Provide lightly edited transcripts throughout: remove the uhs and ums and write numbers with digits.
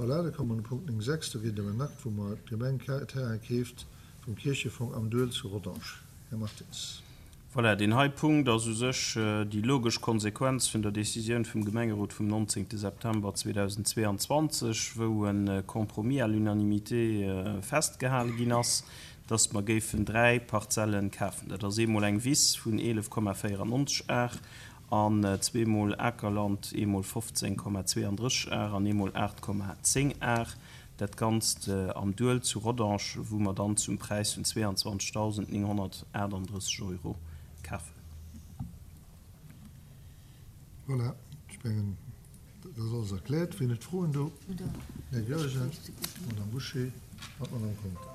Voilà, da komme mer un de Punkt 9, 6. Do geet et ëm en Akt, wou mer d'Gemeng Terrain keeft vum Kierchefong am Duel zu Rodange. Här Martins. Voilà, deen hei Punkt ass u sech déi logesch Konsequenz vun der Décisioun vum Gemengerot vum 19. September 2022, wou e Compromis à l'unanimité festgehale ginn ass, dass mer géifen dräi Parzellen kafen. Dat ass eemol eng Wiss vun 11,94 Ar an zweemol Akerland, eemol 15,32 Ar an eemol 8,10 Ar. Dat Ganzt am Duel zu Rodange, wou mer dann zum Präis vun 22.938 Euro kafen. Voilà, ech mengen, dat ass alles erkläert. Wien huet Froen do? Den Här Goergen, d'Madame Bouché an d'Madame Conter.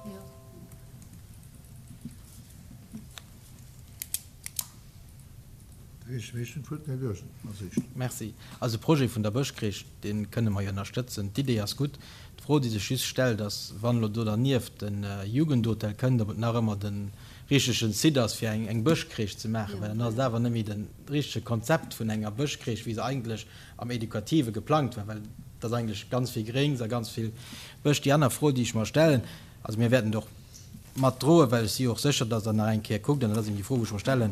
Merci. Also de Projet vun der Bëschcrèche, dee kënne mer jo ënnerstëtzen. D'Idee ass gutt. D'Fro, déi sech just stellt, ass, wann elo do dernieft de Jugendhotel kënnt, ob et nach ëmmer de richtegen Site ass, fir eng Bëschcrèche ze maachen, well dann ass et awer net méi de richtege Konzept vun enger Bëschcrèche, wéi se eigentlech am Educative geplangt war, well et ass eigentlech ganz vill Gréngs a ganz vill Bësch. Déi aner Fro, déi ech mer stellen, also mir wäerten et och mat droen, well ech si jo och sécher, dass Der nach eng Kéier kuckt, an dat ass eben déi Fro, wou ech mer stellen,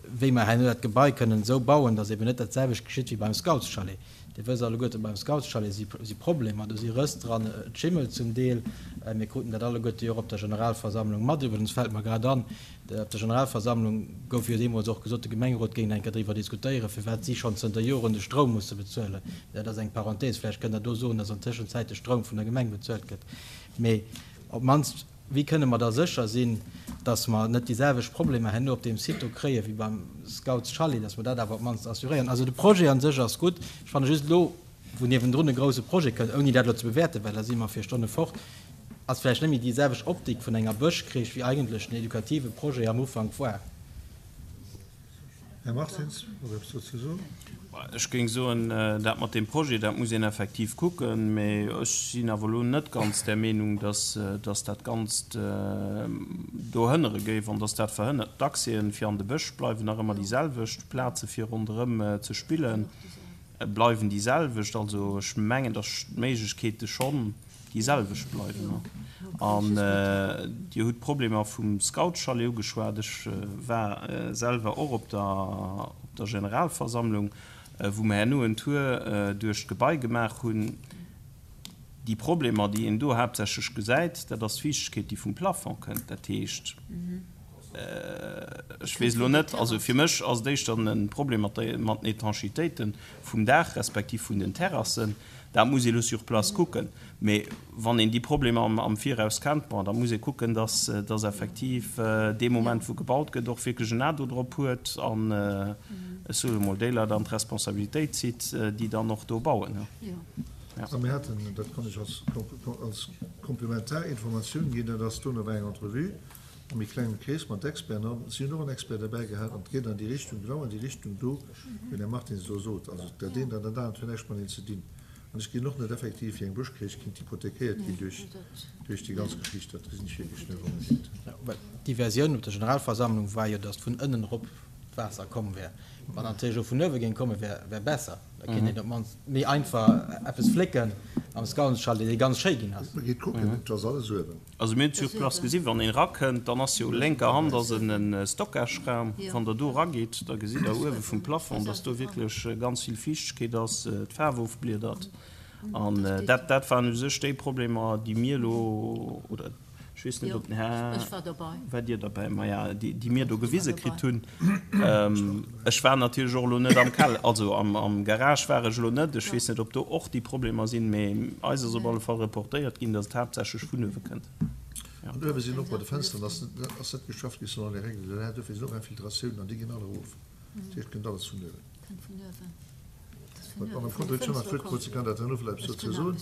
wéi mer herno dat Gebai kënnen esou bauen, dass eben net dat selwecht geschitt wéi beim Scoutschalet. Dir wësst alleguerte, beim Scoutschalet si si Problemer, do si Rëss dran, et schimmelt zum Deel. Mir kruten dat alleguerte jo och op der Generalversammlung mat. Iwwregens fält mer grad an, op der Generalversammlung gouf jo deemools och gesot, de Gemengerot géing eng Kéier driwwer diskutéieren, firwat si schonn zënter Joren de Stroum musse bezuelen. Dat ass eng Parenthèse, vläicht kënnt Der do soen, dass an Tëschenzäit de Stroum vun der Gemeng bezuelt gëtt. Mee op d'mannst, wéi kënne mer da sécher sinn, dass mer net déi selwecht Problemer herno op deem Site do kréie wéi beim Scouts Chalet, dass mer dat awer op d'mannst assuréieren? Also de Projet a sech ass gutt. Ech fanne just elo, wou niewendrun e grouse Projet kënnt, ouni dat elo ze bewäerten, well da si mer fir Stonne fort, ass vläicht net méi déi selwecht Optik vun enger Bëschcrèche, wéi eigentlech den edukative Projet am Ufank war. Här Martins, hutt Der eppes dozou ze soen? Ech géing soen, dat mat deem Projet, dat muss een effektiv kucken. Mä ech sinn awer elo net ganz där Meenung, dass dat Ganzt do hënnere géif an dass dat verhënnert. D'Accèsen fir an de Bësch bleiwen nach ëmmer déi selwecht, d'Plaze fir ronderëm ze spille bleiwen déi selwecht. Also ech mengen, dass d'Méiglechkeete schonn déi selwecht bleiwen. An Dir hutt d'Problemer vum Scoutschalet ugeschwat. Ech war selwer och op der op der Generalversammlung, wou mer herno en Tour duerch d'Gebai gemaach hunn. Déi Problemer, déi een do haaptsächlech gesäit, dat ass d'Fiichtegkeet, déi vum Plafond kënnt. Dat heescht, ech weess elo net, also fir mech ass et éischter e Problem mat den Etanchitéite vum Daach respektiv vun den Terrassen. Dat muss ee lo sur place kucken. Mee wann een déi Problemer am Viraus kennt, bon, da muss ee kucken, dass dass effektiv dee Moment, wou gebaut gëtt, och wierklech en A do drop huet an, ech soe mol, déi Leit an d'Responsabilitéit zitt, déi dann och do bauen. A mir haten, dat kann ech als als komplementar Informatioun ginn, dat ass, dono war eng Entrevue am méi klenge Krees mat Experten an si hunn och en Expert derbäi gehat an et geet an déi Richtung, genau an déi Richtung do, wéi den Här Martins elo sot. Also dat eent an dat anert huet näischt mateneen ze dinn. An ech gesinn och net effektiv, wéi eng Bëschcrèche kinnt hypothekéiert ginn duerch duerch déi ganz Geschicht. Dat gesinn ech wierklech net onbedéngt. Well déi Versioun op der Generalversammlung war jo, datt vun ënnen erop d'Waasser komm wär. Wann natierlech och vun uewe géing kommen, wär wär besser. Da kéint een op d'mannst méi einfach eppes flécken am Scoutschalet, dee ganz schéi ginn ass. Gitt kucken, et ass alles uewen. Also mir hunn sur place gesinn, wann een erakënnt, dann ass jo lénker Hand ass en Stockageraum. Wann Der do eragitt, da gesitt Der uewe vum Plafond, dass do wierklech ganz vill Fiichtegkeet ass, d'Faarf ofbliedert. An dat, dat waren u sech déi Problemer, déi mir elo, oder ech weess net, ob den Här, waart Dir derbäi? Maja, déi mir do gewise kritt hunn. Ech war natierlech och elo net am Keller, also am Garage war ech elo net. Ech weess net, ob do och déi Problemer sinn, mee eis ass op alle Fall reportéiert ginn, datt et haaptsächlech vun uewe kënnt. An uewe sinn och bei de Fensteren ass net geschafft gi selon les règles de l'art, dofir sinn och Infiltratiounen an déi ginn all erof. Dat heescht, et kënnt alles vun uewen. D'Madame Conter huet schonn nach d'Wuert krut, si kann dat herno vläicht eppes dozou soen,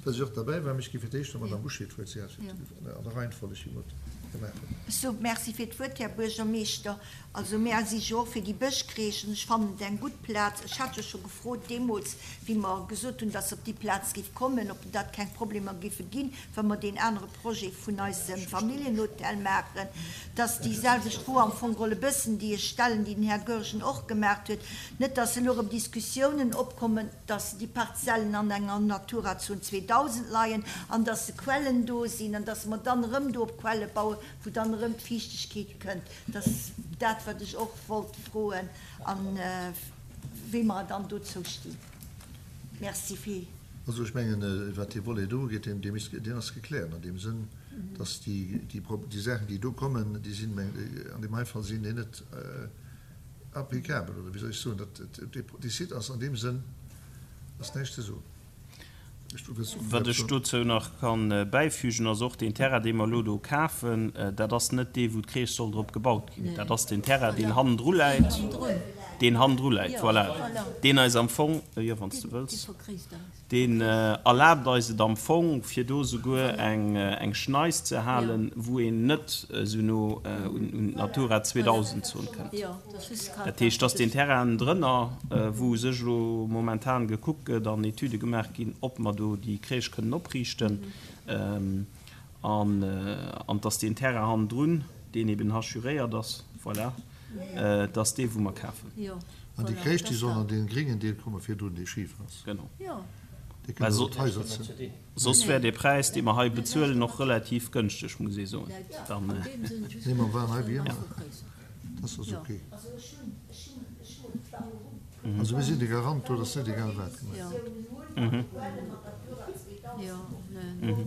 well si och derbäi war. Mee ech gi fir d'éischt der Madame Bouché d'Wuert, si hat an der Reihenfolleg hir Wuert. gemaach hunn. Ech soe Merci fir d'Wuert, Här Buergermeeschter. Also mär si jo och fir déi Bëschcrèche an ech fannen et eng gutt Plaz. Ech hat jo scho gefrot deemools, wéi mer gesot hunn, dass se op déi Plaz géif kommen, ob dat keng Problemer géife ginn, wa mer deen anere Projet vun eisem Familljenhotel maachen, dass déi selwecht Fro am Fong geholl e bëssen, déi ech stellen, déi den Här Goergen och gemaach huet, net dass elo erëm Diskussiounen opkommen, dass déi Parzellen an enger Naturazon 2000 leien an dass se Quellen do sinn an dass mer dann erëm do op Quelle bauen, wou dann erëm d'Fiichtegkeet kënnt. Dat ass dat, wat ech och wollt froen a wéi mer dann dozou stinn. Merci fir. Also ech mengen, wat dee Volet do ugeet, deen, deen ass gekläert an deem Sënn, dass déi, déi Saachen, déi do kommen, déi sinn, an deem hei Fall sinn déi net applicabel, oder wéi soll ech soen, dat, dee Site ass an deem Sënn, ass näischt ze soen. Wat ech dozou nach ka bäifügen, ass och, deen Terrain, dee mer elo do kafen, dat ass net dee wou d'Crèche soll drop gebaut ginn. Dat ass den Terrain, deen hannendru läit, deen hannendru läit, voilà, deen eis am Fong, jo, wann s de wëlls, deen erlaabt eis et am Fong, fir do souguer eng Schneis ze halen, wou een net esou no un d'Natura 2000 Zon kënnt. Dat heescht, dass deen Terrain drënner, wou u sech elo momentan gekuckt gëtt an Etüde gemaach ginn, ob mer do déi Crèche kënnen opriichten, an dass deen Terrain hannendrun, deen eben hachuréiert ass, voilà, dass dee wou mer kafen. An déi Crèche, déi soll an dee gréngen Deel kommen, virdrun, dee schif ass. Genau. Dee kënnt also d'Haiser ze. Soss wär dee Präis, dee mer hei bezuelen, och relativ gënschteg, muss ee soen. Nee, mer waren hei wéi ëmmer. Dat ass ok. Also mir sinn de Garant do, dass net egal wat gemaach gëtt.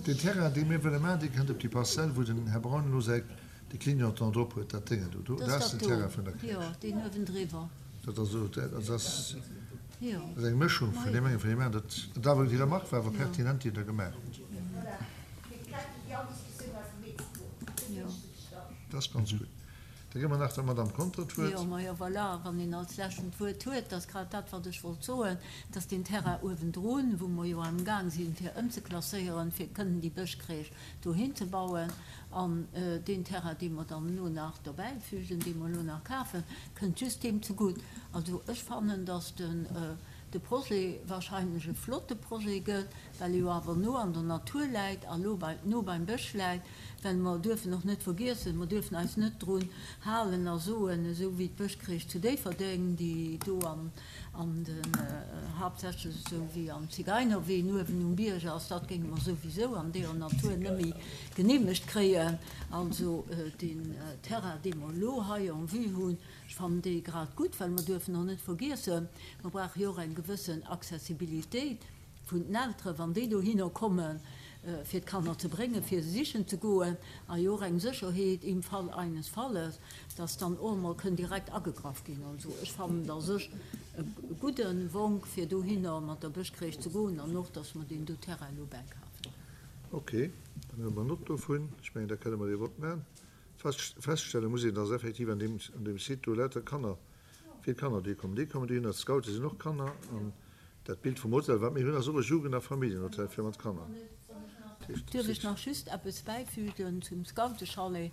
Deen Terrain, dee mir wëlle maachen, dee kënnt op déi Parzell, wou den Här Braun elo säi, de Clignotant drop huet, dat Déngen do. Do ass den Terrain vun der Crèche. Dat ass esou, dat ass eng Mëschung vun deem engen, vun deem aneren. Dat awer, déi Remarque war awer pertinent, déi Der gemaach hutt. Dat ass ganz gutt. Da gi mer nach der Madamm Conter d'Wuert. Jo, majo, voilà, wann een als Leschten d'Wuert huet, dat ass grad dat, wat ech wollt soen, dass deen Terrain uewendrun, wou mer jo amgaang sinn, fir ëmzeklasséieren, fir kënnen déi Bëschcrèche dohin ze bauen, an deen Terrain, dee mer dann elo nach dobäifügen, dee mer elo nach kafen, kënnt just deem zegutt. Also ech fannen, dass den de Projet wahrscheinlech e flotte Projet gëtt, well e jo awer no an der Natur läit a lo bei no beim Bësch läit. Well mer duerfen och net vergiessen, mer duerfen eis net drun halen a soen, esou wéi d'Bëschcrèche zu Déifferdeng, déi do an an den, haaptsächlech esou wéi am Zigeinerween uewen um Bierg ass, dat géinge mer souwisou an deeër Natur net méi geneemegt kréien. Also deen Terrain, dee mer elo hei en vue hunn, ech fannen dee grad gutt, well mer duerfen och net vergiessen, mer brauche jo och eng gewëssen Accessibilitéit. vun den Elteren, wann déi dohinner kommen, fir d'Kanner ze bréngen, fir se sichen ze goen, a jo och eng Sécherheet im Fall eines Falles, dass dann och emol kënn direkt agegraff ginn. Also ech fannen et a sech e gudde Wonk, fir dohinner mat der Bëschcrèche ze goen an och, dass mer deen do Terrain elo bäikafen. Ok, dann huele mer Nott dovun. Ech mengen, da kënne mer dee Vott maachen. Feststelle muss een, dass effektiv an deem Site do lauter Kanner Vill Kanner déi kommen, déi kommen dohinner, d'Scoute sinn och Kanner an dat Bild vum Hotel wat mir hunn ass och e Jugend a Familljenhotel fir mat Kanner. Duerf ech nach just eppes bäifügen zum Scoutechalet?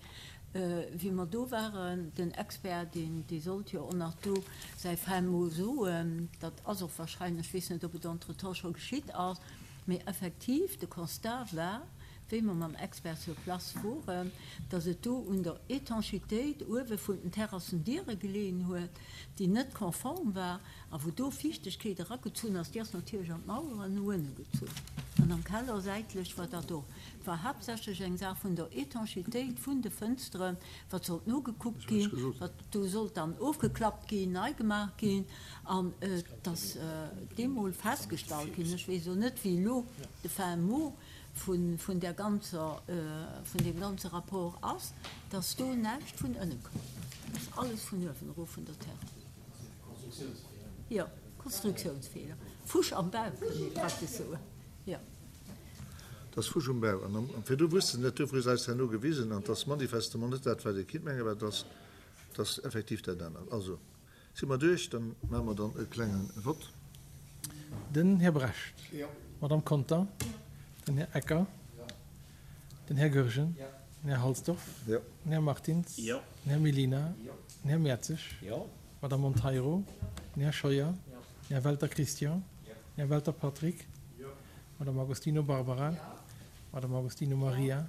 Wéi mer do waren, den Expert, deen, dee sollt jo och nach do säi fin mot soen, dat ass och wahrscheinlech, ech weess net, ob et entretemps scho geschitt ass, mee effektiv de Constat war, wéi mer mam Expert sur place woren, dass et do un der Étanchitéit uewe vun den Terrassendiere geleeën huet, déi net konform war a wou do Fiichtegkeet eragezunn ass. Déi ass natierlech an d'Maueren no ënne gezunn an am Keller säitlech war dat och. Et war haaptsächlech eng Saach vun der Étanchitéit vun de Fënsteren, wat sollt nogekuckt ginn, wat do sollt dann ofgeklappt ginn, nei gemaach ginn. An et ass deemol festgestallt ginn, ech weess elo net, wéi elo de fin mot vun där ganzer, vun deem ganze Rapport ass, dass do näischt vun ënne koum. Dat ass alles vun uewen erof vun der Terre. Jo, Konstruktiounsfeeler. Fusch am Bau, kënnt ee praktesch soen. Jo. Dat ass Fusch um Bau. An virdu wusste se net, duerfir hu se eis herno gewisen, an et ass manifestement net dat, wat ee kinnt mengen, mä et ass, et ass effektiv dat anert. Also. Si mer duerch? Dann maache mer dann e klenge Vott. Den Här Brecht. Jo. D'Madame Conter. Jo. Den Här Ecker. Jo. Den Här Goergen. Jo. Den Här Halsdorf. Jo. Den Här Martins. Jo. Den Här Mellina. Jo. Den Här Mertzig. Jo. D'Madame Monteiro. Den Här Scheuer. Jo. Den Här Welter Christian. Jo. Den Här Welter Patrick. Jo. D'Madame Agostino Barbara. Jo. D'Madame Agostino Maria.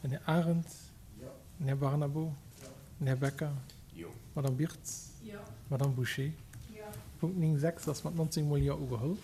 Den Här Arendt. Jo. Den Här Barnabo. Jo. Den Här Becker. Jo. D'Madame Birtz. Jo. D'Madame Bouché. Jo. Punkt 9, 6 ass mat 19 mol Jo ugeholl.